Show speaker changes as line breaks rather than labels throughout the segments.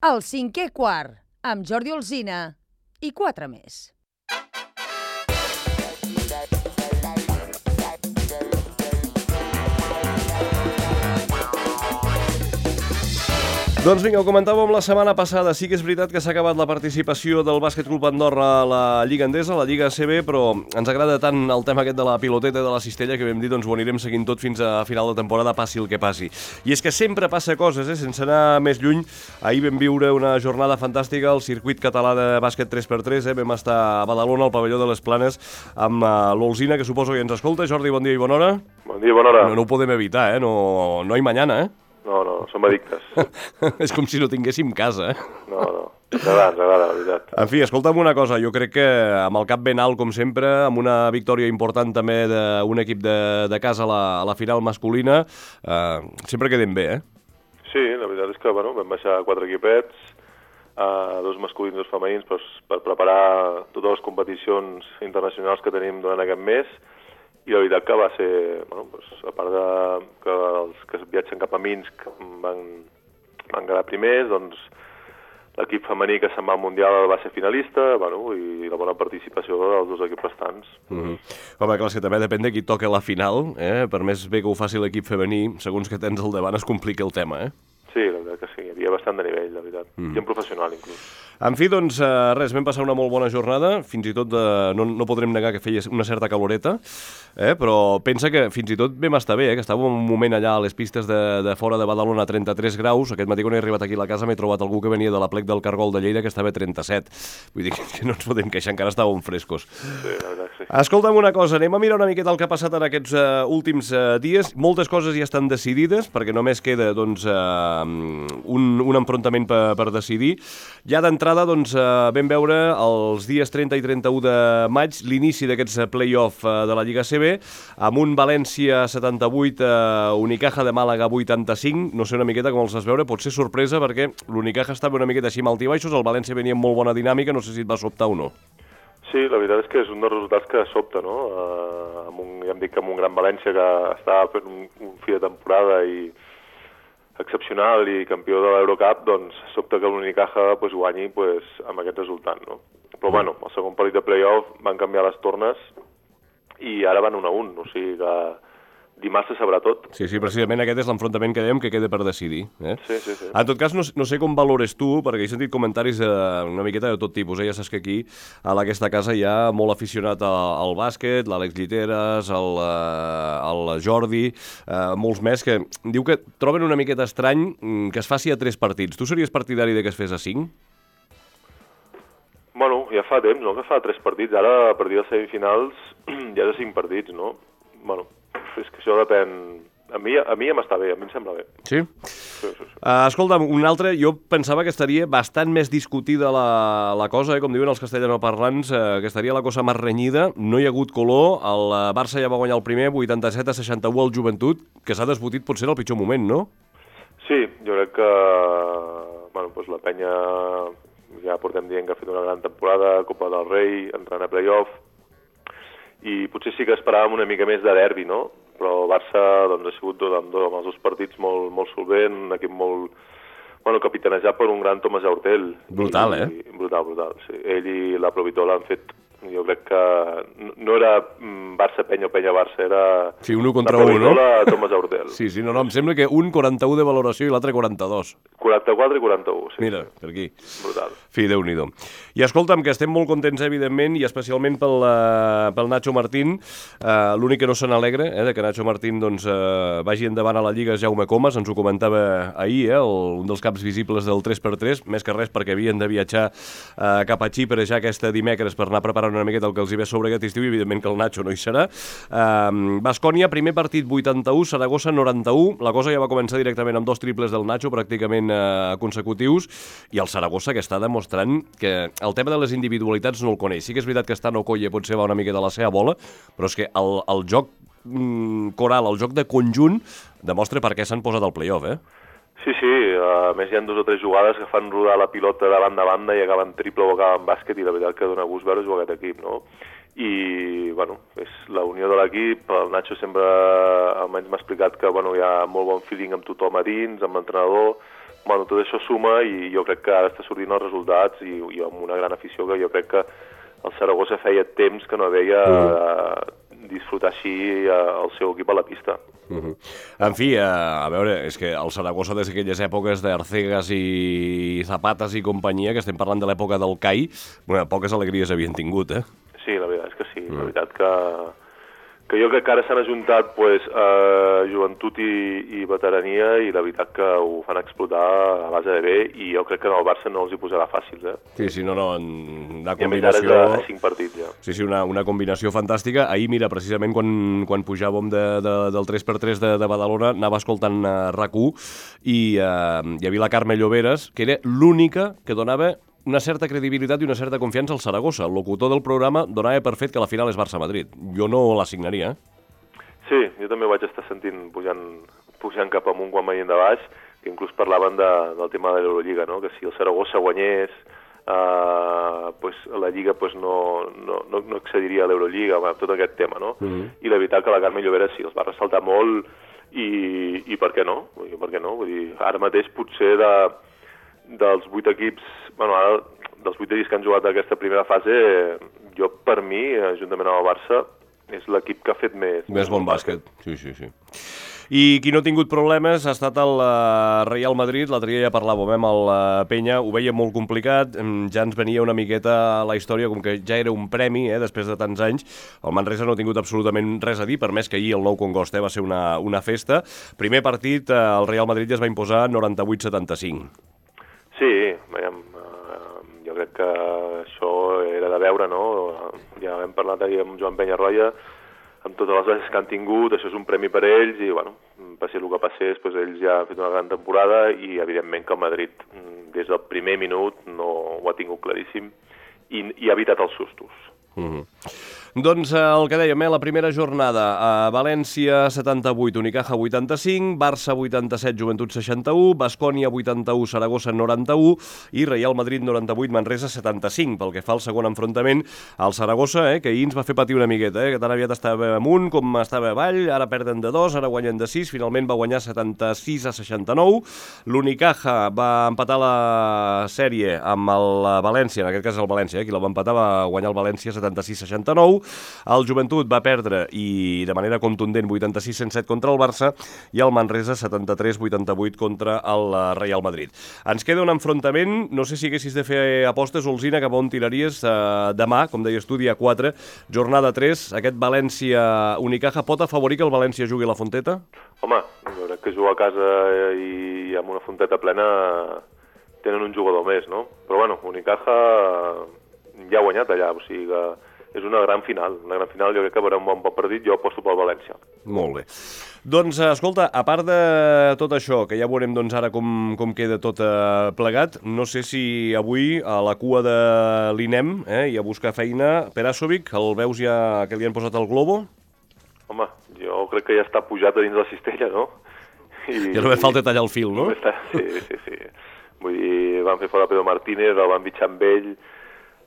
El cinquè quart, amb Jordi Alsina i 4 més.
Doncs vinga, ho comentàvem la setmana passada. Sí que és veritat que s'ha acabat la participació del Bàsquet Club Andorra a la Lliga Endesa, a la Lliga ACB, però ens agrada tant el tema aquest de la piloteta i de la cistella que vam dir, doncs ho anirem seguint tot fins a final de temporada, passi el que passi. I és que sempre passa coses, sense anar més lluny. Ahir vam viure una jornada fantàstica al circuit català de bàsquet 3x3, vam estar a Badalona, al pavelló de les Planes, amb l'Olsina, que suposo que ens escolta. Jordi, bon dia i bona hora.
Bon dia i bona hora.
No ho podem evitar, no hay mañana,
No, som addictes.
És com si no tinguéssim casa,
No, ens agrada, la veritat.
En fi, escolta'm una cosa, jo crec que amb el cap ben alt, com sempre, amb una victòria important també d'un equip de casa a la final masculina, sempre quedem bé,
Sí, la veritat és que vam baixar 4 equipets, 2 masculins i 2 femenins, per preparar totes les competicions internacionals que tenim durant aquest mes, i la veritat que va ser, a part que els que viatgen cap a Minsk van quedar primers, doncs l'equip femení que se'n va al Mundial va ser finalista, i la bona participació dels 2 equips restants.
Home, clar, és que també depèn de qui toca la final, per més bé que ho faci l'equip femení, segons que tens al davant es complica el tema,
Sí, la veritat que sí, hi havia bastant de nivell, la veritat, i en professional inclús.
En fi, doncs, res, vam passar una molt bona jornada, fins i tot no podrem negar que feia una certa caloreta, però pensa que fins i tot vam estar bé, que estàvem un moment allà a les pistes de fora de Badalona a 33 graus, aquest matí quan he arribat aquí a la casa m'he trobat algú que venia de la plec del Cargol de Lleida que estava a 37, vull dir que no ens podem queixar, encara estàvem frescos.
Sí, la veritat que sí.
Escolta'm una cosa, anem a mirar una miqueta el que ha passat en aquests últims dies, moltes coses ja estan decidides, perquè només queda, doncs, un enfrontament per decidir. Ja d'entrada, doncs, vam veure els dies 30 i 31 de maig l'inici d'aquests play-off de la Lliga ACB, amb un València 78, Unicaja de Màlaga 85, no sé una miqueta com els vas veure, pot ser sorpresa perquè l'Unicaja estava una miqueta així amb altibaixos, el València venia amb molt bona dinàmica, no sé si et va sobtar o no.
Sí, la veritat és que és un dels resultats que sobta, no? Ja em dic que amb un gran València que estava fent un fi de temporada i excepcional i campió de l'Eurocup, doncs sobta que l'Unicaja guanyi amb aquest resultat, no? Però el segon partit de play-off van canviar les tornes i ara van 1-1, o sigui que dimarts se sabrà tot.
Sí, precisament aquest és l'enfrontament que dèiem que queda per decidir.
Sí.
En tot cas, no sé com valores tu, perquè he sentit comentaris una miqueta de tot tipus. Ja saps que aquí, a aquesta casa, hi ha molt aficionat al bàsquet, l'Àlex Lliteres, el Jordi, molts més, que diu que troben una miqueta estrany que es faci a 3 partits. Tu series partidari de que es fes a 5?
Bueno, ja fa temps, no?, que fa 3 partits. Ara, a partir de semifinals, ja és de 5 partits, no? Bueno, és que això depèn... A mi ja m'està bé, a mi em sembla bé.
Sí? Sí. Escolta'm, un altre, jo pensava que estaria bastant més discutida la cosa, com diuen els castellanoparlants, que estaria la cosa més renyida. No hi ha hagut color, el Barça ja va guanyar el primer, 87-61 al Joventut, que s'ha desbotit potser en el pitjor moment, no?
Sí, jo crec que la penya ja portem dient que ha fet una gran temporada, Copa del Rei, entrant a play-off, i potser sí que esperàvem una mica més de derbi, no? Però el Barça ha sigut amb els 2 partits molt solvent, un equip molt capitanejat per un gran Tomàs Hortel.
Brutal,
Brutal, sí. Ell i la Provitola han fet, jo crec que no era Barça-Penya o Penya-Barça, era...
Sí, 1 contra 1, no?
La Provitola, Tomàs Hortel.
Sí, no, em sembla que un 41 de valoració i l'altre 42.
44 i 41, sí.
Mira, per aquí.
Brutal.
Fi, Déu-n'hi-do. I escolta'm, que estem molt contents, evidentment, i especialment pel Nacho Martín. L'únic que no se n'alegra, de que Nacho Martín vagi endavant a la Lliga és Jaume Comas, ens ho comentava ahir, un dels caps visibles del 3x3, més que res perquè havien de viatjar cap a Xipre ja aquest dimecres per anar preparant una miqueta el que els hi ve sobre aquest estiu, i evidentment que el Nacho no hi serà. Baskonia, primer partit 81, Saragossa 91, la cosa ja va començar directament amb 2 triples del Nacho pràcticament consecutius, i el Saragossa que està demostrant que el tema de les individualitats no el coneix. Sí que és veritat que està Okoye potser va una mica de la seva bola, però és que el joc coral, el joc de conjunt, demostra per què s'han posat al play-off,
Sí, a més hi ha 2 o 3 jugades que fan rodar la pilota de banda a banda i acaben triple o acaben bàsquet, i la veritat que dona gust veure jugar aquest equip, no? I, és la unió de l'equip. El Nacho sempre, almenys m'ha explicat que, hi ha molt bon feeling amb tothom a dins, amb l'entrenador, bueno, tot això suma i jo crec que ara està sortint els resultats i amb una gran afició que jo crec que el Saragossa feia temps que no veia disfrutar així el seu equip a la pista.
En fi, a veure, és que el Saragossa des d'aquelles èpoques d'Arcegas i Zapatas i companyia, que estem parlant de l'època del CAI, poques alegries havien tingut, eh?
Sí, la veritat és que sí. La veritat que jo crec que ara s'han ajuntat joventut i veterania i la veritat que ho fan explotar a base de bé i jo crec que en el Barça no els hi posarà fàcils, eh?
Sí, una combinació...
I a més ara és a 5 partits, ja.
Sí, una combinació fantàstica. Ahir, mira, precisament quan pujàvem del 3x3 de Badalona, anava escoltant RAC1 i hi havia la Carme Lloberes, que era l'única que donava una certa credibilitat i una certa confiança al Saragossa. El locutor del programa donava per fet que la final és Barça-Madrid. Jo no l'assignaria, eh?
Sí, jo també ho vaig estar sentint pujant cap amunt quan venien de baix, que inclús parlaven del tema de l'Eurolliga, no? Que si el Saragossa guanyés, la Lliga no accediria a l'Eurolliga, tot aquest tema, no? I la veritat que la Carme Llobera sí, els va ressaltar molt i per què no? Per què no? Vull dir, ara mateix potser dels 8 equips, ara dels 8 equips que han jugat aquesta primera fase, jo per mi, juntament amb el Barça, és l'equip que ha fet més
bon bàsquet. Sí. I qui no ha tingut problemes ha estat el Real Madrid. L'altre dia ja parlàvem amb el Penya, ho veia molt complicat, ja ens venia una miqueta a la història com que ja era un premi, després de tants anys. El Manresa no ha tingut absolutament res a dir, per més que ahir el Nou Congost va ser una festa. Primer partit, el Real Madrid ja es va imposar 98-75.
Sí, jo crec que això era de veure, no? Ja hem parlat ahir amb Joan Penyarroia, amb totes les bases que han tingut, això és un premi per ells i, passi el que passés, ells ja han fet una gran temporada i, evidentment, que el Madrid, des del primer minut, no ho ha tingut claríssim i ha evitat els sustos.
Doncs el que dèiem, la primera jornada, València 78, Unicaja 85, Barça 87, Joventut 61, Baskonia 81, Saragossa 91 i Real Madrid 98, Manresa 75. Pel que fa al segon enfrontament, el Saragossa, que ahir ens va fer patir una miqueta, que tan aviat estava amunt com estava avall, ara perden de 2, ara guanyen de 6, finalment va guanyar 76-69. L'Unicaja va empatar la sèrie amb el València, en aquest cas el València, qui la va empatar va guanyar el València 76-69. El Joventut va perdre i de manera contundent 86-107 contra el Barça i el Manresa 73-88 contra el Real Madrid. Ens queda un enfrontament, no sé si haguessis de fer apostes, Olzina, cap on tiraries demà, com deies tu, dia 4, jornada 3, aquest València-Unicaja pot afavorir que el València jugui a la Fonteta?
Home, jo crec que jugar a casa i amb una Fonteta plena tenen un jugador més, no? Però bueno, Unicaja ja ha guanyat allà, o sigui que és una gran final, jo crec que veurem un bon partit, jo aposto pel València.
Molt bé. Doncs, escolta, a part de tot això, que ja veurem ara com queda tot plegat, no sé si avui a la cua de l'INEM i a buscar feina, Perasovic, el veus ja que li han posat el globo?
Home, jo crec que ja està pujat a dins la cistella, no?
Ja només falta tallar el fil, no?
Sí. Vull dir, van fer fora Pedro Martínez, el van bitxar amb ell,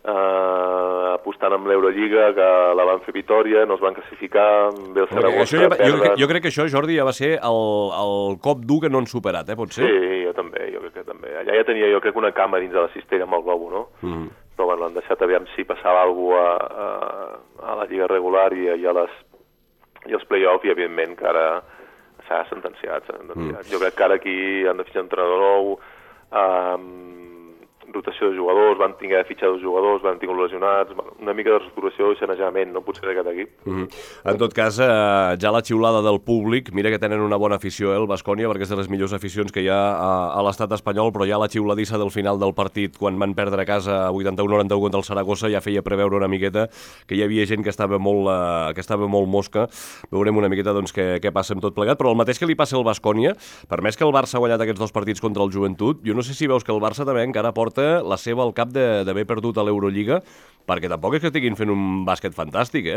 apostant amb l'Eurolliga, que la van fer Vitòria, no es van classificar, ve el Saragossa, perden...
Jo crec que això, Jordi, ja va ser el cop dur que no han superat, pot ser?
Sí, jo crec que també. Allà ja tenia, jo crec, una cama dins de la cistella amb el globo, no? Però bueno, l'han deixat aviam si passava alguna cosa a la Lliga regular i als play-off, i evidentment que ara s'ha sentenciat. Jo crec que ara aquí han de fitxar un entrenador nou, rotació de jugadors, van tinguer de fitxar 2 jugadors, van tingut lesionats, una mica de reestructuració i sanejament, no? Potser d'aquest equip.
En tot cas, ja la xiulada del públic, mira que tenen una bona afició, el Baskonia, perquè és de les millors aficions que hi ha a l'estat espanyol, però ja la xiuladissa del final del partit, quan van perdre a casa 81-91 contra el Saragossa, ja feia preveure una miqueta que hi havia gent que estava molt mosca. Veurem una miqueta què passa amb tot plegat, però el mateix que li passa al Baskonia, per més que el Barça ha guanyat aquests 2 partits contra el Joventut, jo no sé si veus que el Barça també encara porta la seva al cap d'haver perdut a l'Eurolliga, perquè tampoc és que estiguin fent un bàsquet fantàstic,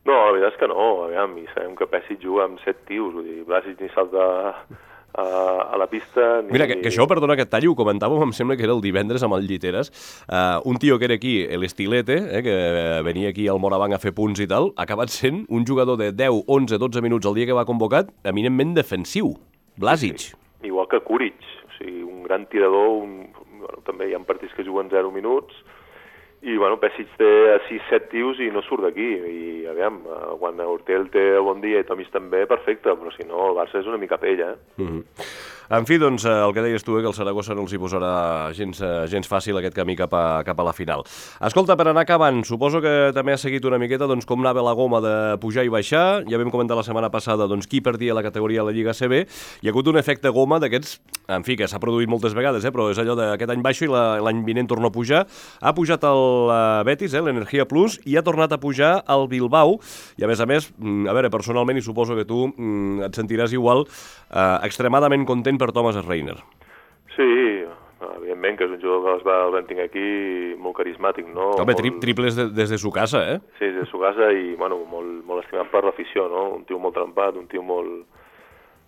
No, la veritat és que no, aviam, i sabem que Pesic juga amb 7 tios, vull dir, Blasic ni salta a la pista...
Mira, que això, perdona que et talli, ho comentàvem, em sembla que era el divendres amb el Lliteres, un tio que era aquí, l'Estilete, que venia aquí al Morabanc a fer punts i tal, ha acabat sent un jugador de 10, 11, 12 minuts el dia que va convocat, eminentment defensiu, Blasic.
Sí. Igual que Kuric, o sigui, un gran tirador, bueno, també hi ha partits que juguen 0 minuts, i bueno, Pesic té 6-7 tios i no surt d'aquí, i aviam, quan Urtel té el bon dia i Tomis també, perfecte, però si no, el Barça és una mica pell,
En fi, doncs, el que deies tu, que el Saragossa no els hi posarà gens fàcil aquest camí cap a la final. Escolta, per anar acabant, suposo que també has seguit una miqueta doncs, com anava la goma de pujar i baixar. Ja vam comentar la setmana passada doncs, qui perdia la categoria a la Lliga CB. Hi ha hagut un efecte goma d'aquests, en fi, que s'ha produït moltes vegades, però és allò d'aquest any baixo i l'any vinent torna a pujar. Ha pujat el Betis, l'Energia Plus, i ha tornat a pujar el Bilbao. I a més, a veure, personalment, i suposo que tu et sentiràs igual, extremadament content per Thomas Reiner.
Sí, evidentment que és un jugador que el vam tenir aquí molt carismàtic, no?
Home, triples des de su casa, eh?
Sí, des de su casa i, bueno, molt estimat per l'afició, no? Un tio molt trempat, un tio molt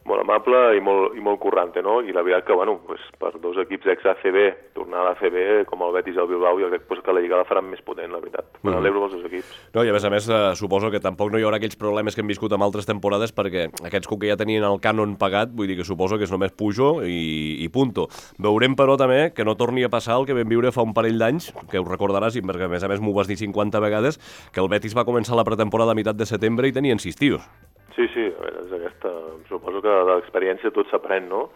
amable i molt currante, no? I la veritat que, bueno, pues, per dos equips ex-ACB, tornar a l'ACB, com el Betis i el Bilbao, jo crec que la Lliga la faran més potent, la veritat. M'alegro dels dos equips.
No, i a més, suposo que tampoc no hi haurà aquells problemes que hem viscut en altres temporades, perquè aquests que ja tenien el cànon pagat, vull dir que suposo que és només pujo i punto. Veurem, però, també que no torni a passar el que vam viure fa un parell d'anys, que ho recordaràs, i perquè a més m'ho vas dir 50 vegades, que el Betis va començar la pretemporada a meitat de setembre i tenien 6 tios.
Sí, a veure, és aquesta... Suposo que de l'experiència tot s'aprèn, no?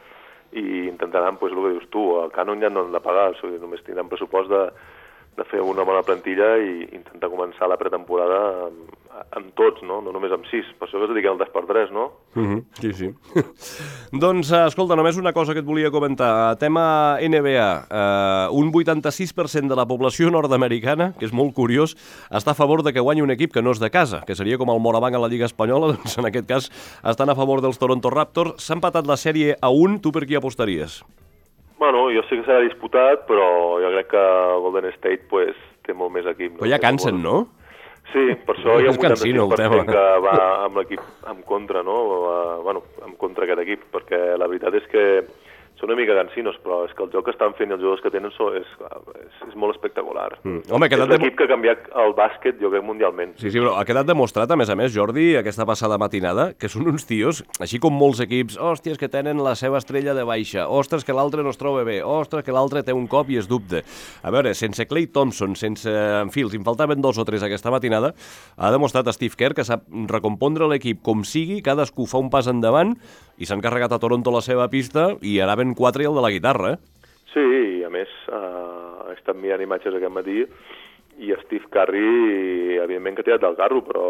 I intentaran, doncs, el que dius tu, el cànon ja no han de pagar, o sigui, només tindran pressupost de fer una bona plantilla i intentar començar la pretemporada amb tots, no? No només amb 6. Per això que es dediquen al 3x3, no?
Sí. Doncs, escolta, només una cosa que et volia comentar. Tema NBA. Un 86% de la població nord-americana, que és molt curiós, està a favor de que guanyi un equip que no és de casa, que seria com el Morabanc a la Lliga Espanyola, doncs en aquest cas estan a favor dels Toronto Raptors. S'ha empatat la sèrie a 1. Tu per qui apostaries?
Bueno, jo sé que serà disputat, però jo crec que Golden State pues, té molt més equip.
Però ja cansen, no?
Sí, per això hi ha un 85% que va amb l'equip en contra, no? Bueno, en contra aquest equip, perquè la veritat és que són una mica cansinos, però és que el joc que estan fent i els jugadors que tenen és molt espectacular.
Home,
és l'equip que ha canviat el bàsquet, jo crec, mundialment.
Sí, però ha quedat demostrat, a més, Jordi, aquesta passada matinada, que són uns tios, així com molts equips, hòsties, que tenen la seva estrella de baixa, ostres, que l'altre no es troba bé, ostres, que l'altre té un cop i es dubte. A veure, sense Klay Thompson, en fi, els en faltaven 2 o 3 aquesta matinada, ha demostrat Steve Kerr que sap recompondre l'equip com sigui, cadascú fa un pas endavant i s'han carregat a Toronto la seva pista i anaven 4 i el de la guitarra,
Sí, i a més, he estat mirant imatges aquest matí i Steve Curry, evidentment que ha tirat del carro, però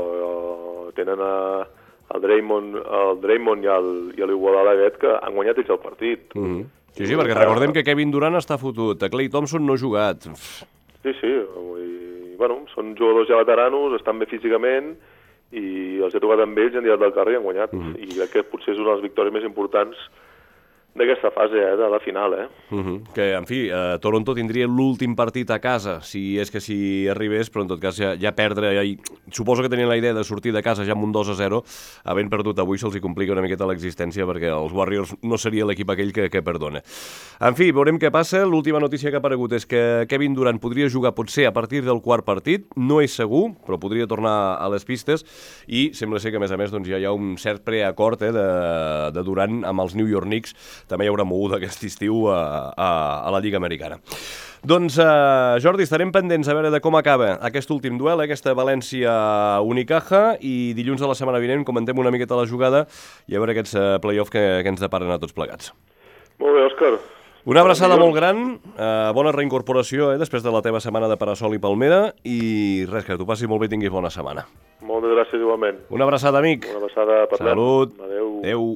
tenen el Draymond i l'Iguodala aquest que han guanyat ells el partit.
Sí, perquè recordem que Kevin Durant està fotut, Klay Thompson no ha jugat.
Sí, bueno, són jugadors ja veteranos, estan bé físicament i els he trobat amb ells, han tirat del carro i han guanyat. I crec que potser és una de les victòries més importants d'aquesta fase, de la final,
Que, en fi, Toronto tindria l'últim partit a casa, si és que si arribés, però en tot cas ja perdre, suposo que tenien la idea de sortir de casa ja amb un 2-0, havent perdut avui se'ls hi complica una miqueta l'existència perquè els Warriors no seria l'equip aquell que perdona. En fi, veurem què passa. L'última notícia que ha aparegut és que Kevin Durant podria jugar potser a partir del quart partit, no és segur, però podria tornar a les pistes i sembla ser que, a més, doncs, ja hi ha un cert preacord de Durant amb els New York Knicks. També hi haurà moguda aquest estiu a la Lliga Americana. Doncs, Jordi, estarem pendents a veure de com acaba aquest últim duel, aquesta València-Unicaja, i dilluns de la setmana vinent comentem una miqueta la jugada i a veure aquests play-off que ens deparen a tots plegats.
Molt bé, Òscar.
Una abraçada molt gran, bona reincorporació després de la teva setmana de Parasol i Palmera, i res, que t'ho passi molt bé i tinguis bona setmana.
Moltes gràcies igualment.
Una abraçada, amic.
Una abraçada, parlem.
Salut.
Adéu.
Adéu.